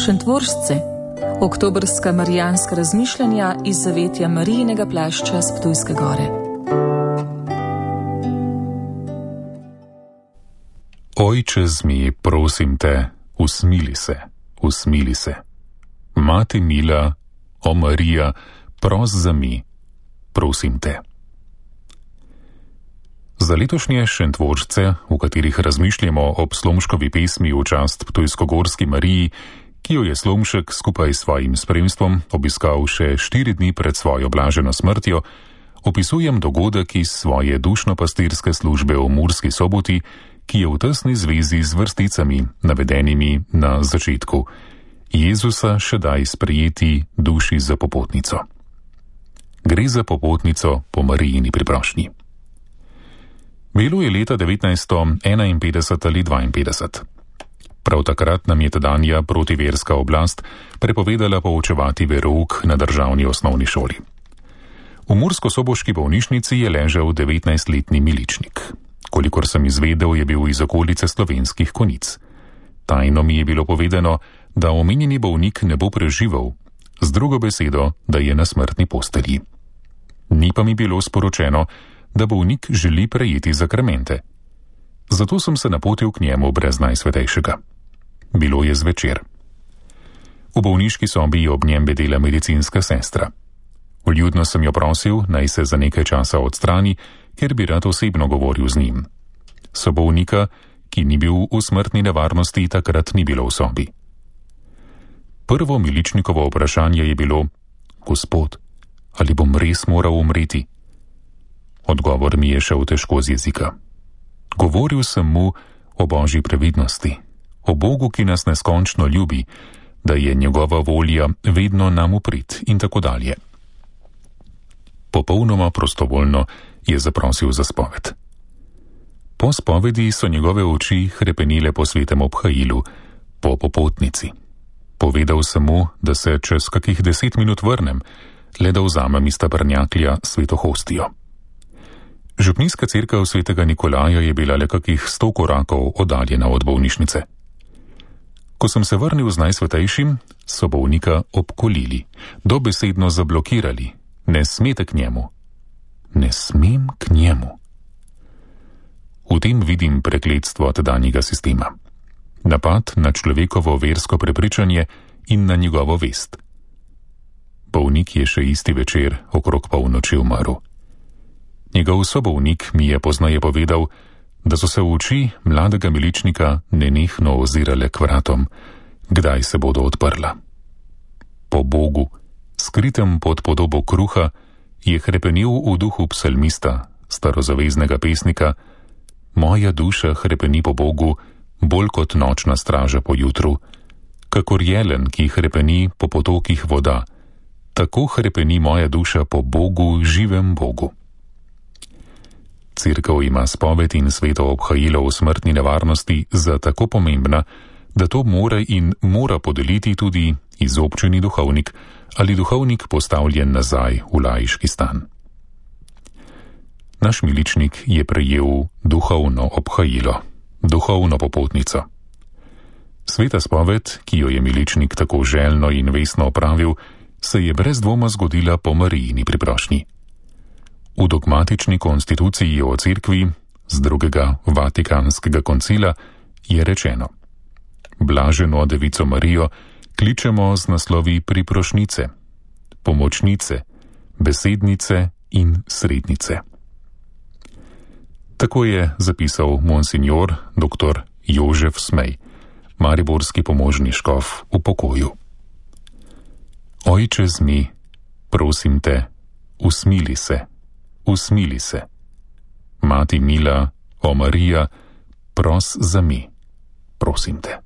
Šentvoržce, oktobrska marijanska razmišljanja iz zavetja Marijinega plašča s Ptujske gore. Ojče zmi, prosim te, usmili se, usmili se. Mati mila, o Marija, pros za mi, prosim te. Za letošnje Šentvoržce, v katerih razmišljamo ob Slomškovi pesmi v čast Ptujskogorski Mariji, ki jo je Slomšek skupaj s svojim spremstvom obiskal še 4 dni pred svojo blaženo smrtjo, opisujem dogodek iz svoje dušno-pastirske službe v Murski Soboti, ki je v tesni zvezi z vrsticami, navedenimi na začetku: Jezusa še daj sprejeti duši za popotnico. Gre za popotnico po Marijini priprošnji. Bilo je leta 1951 ali 52. Prav takrat nam je tedanja protiverska oblast prepovedala poučevati verouk na državni osnovni šoli. V mursko-soboški bolnišnici je ležal 19-letni miličnik. Kolikor sem izvedel, je bil iz okolice Slovenskih Konjic. Tajno mi je bilo povedano, da omenjeni bolnik ne bo preživel, z drugo besedo, da je na smrtni postelji. Ni pa mi bilo sporočeno, da bolnik želi prejeti zakramente. Zato sem se napotil k njemu brez Najsvetejšega. Bilo je zvečer. V bolniški sobi je ob njem bedela medicinska sestra. Vljudno sem jo prosil, naj se za nekaj časa odstrani, ker bi rad osebno govoril z njim. Sobolnika, ki ni bil v smrtni nevarnosti, takrat ni bilo v sobi. Prvo miličnikovo vprašanje je bilo: Gospod, ali bom res moral umreti? Odgovor mi je šel težko z jezika. Govoril sem mu o Božji previdnosti, o Bogu, ki nas neskončno ljubi, da je njegova volja vedno nam v prid in tako dalje. Popolnoma prostovoljno je zaprosil za spoved. Po spovedi so njegove oči hrepenile po svetem obhajilu, po popotnici. Povedal sem mu, da se čez kakih 10 minut vrnem, le da vzamem iz tabernaklja sveto hostijo. Župnijska cerkev svetega Nikolaja je bila le kakih 100 korakov oddaljena od bolnišnice. Ko sem se vrnil z Najsvetejšim, so bolnika obkolili, dobesedno zablokirali. Ne smete k njemu. Ne smem k njemu. V tem vidim prekletstvo tedanjega sistema. Napad na človekovo versko prepričanje in na njegovo vest. Bolnik je še isti večer okrog polnoči umrl. Njegov sobolnik mi je poznaje povedal, da so se v oči mladega miličnika nenehno ozirale k vratom, kdaj se bodo odprla. Po Bogu, skritem pod podobo kruha, je hrepenil v duhu psalmista, starozaveznega pesnika: Moja duša hrepeni po Bogu, bolj kot nočna straža po jutru. Kakor jelen, ki hrepeni po potokih voda, tako hrepeni moja duša po Bogu, živem Bogu. Cerkev ima spoved in sveto obhajilo v smrtni nevarnosti za tako pomembna, da to mora podeliti tudi izobčeni duhovnik ali duhovnik postavljen nazaj v laiški stan. Naš miličnik je prejel duhovno obhajilo, duhovno popotnico. Sveta spoved, ki jo je miličnik tako željno in vestno opravil, se je brez dvoma zgodila po Marijini priprošnji. V dogmatični konstituciji o cerkvi z drugega Vatikanskega koncila je rečeno: Blaženo devico Marijo kličemo z naslovi priprošnice, pomočnice, besednice in srednice. Tako je zapisal monsignor dr. Jožef Smej, mariborski pomožni škof v pokoju. Ojče zmi, prosim te, usmili se, usmili se. Mati mila, o Marija, pros za mi, prosim te.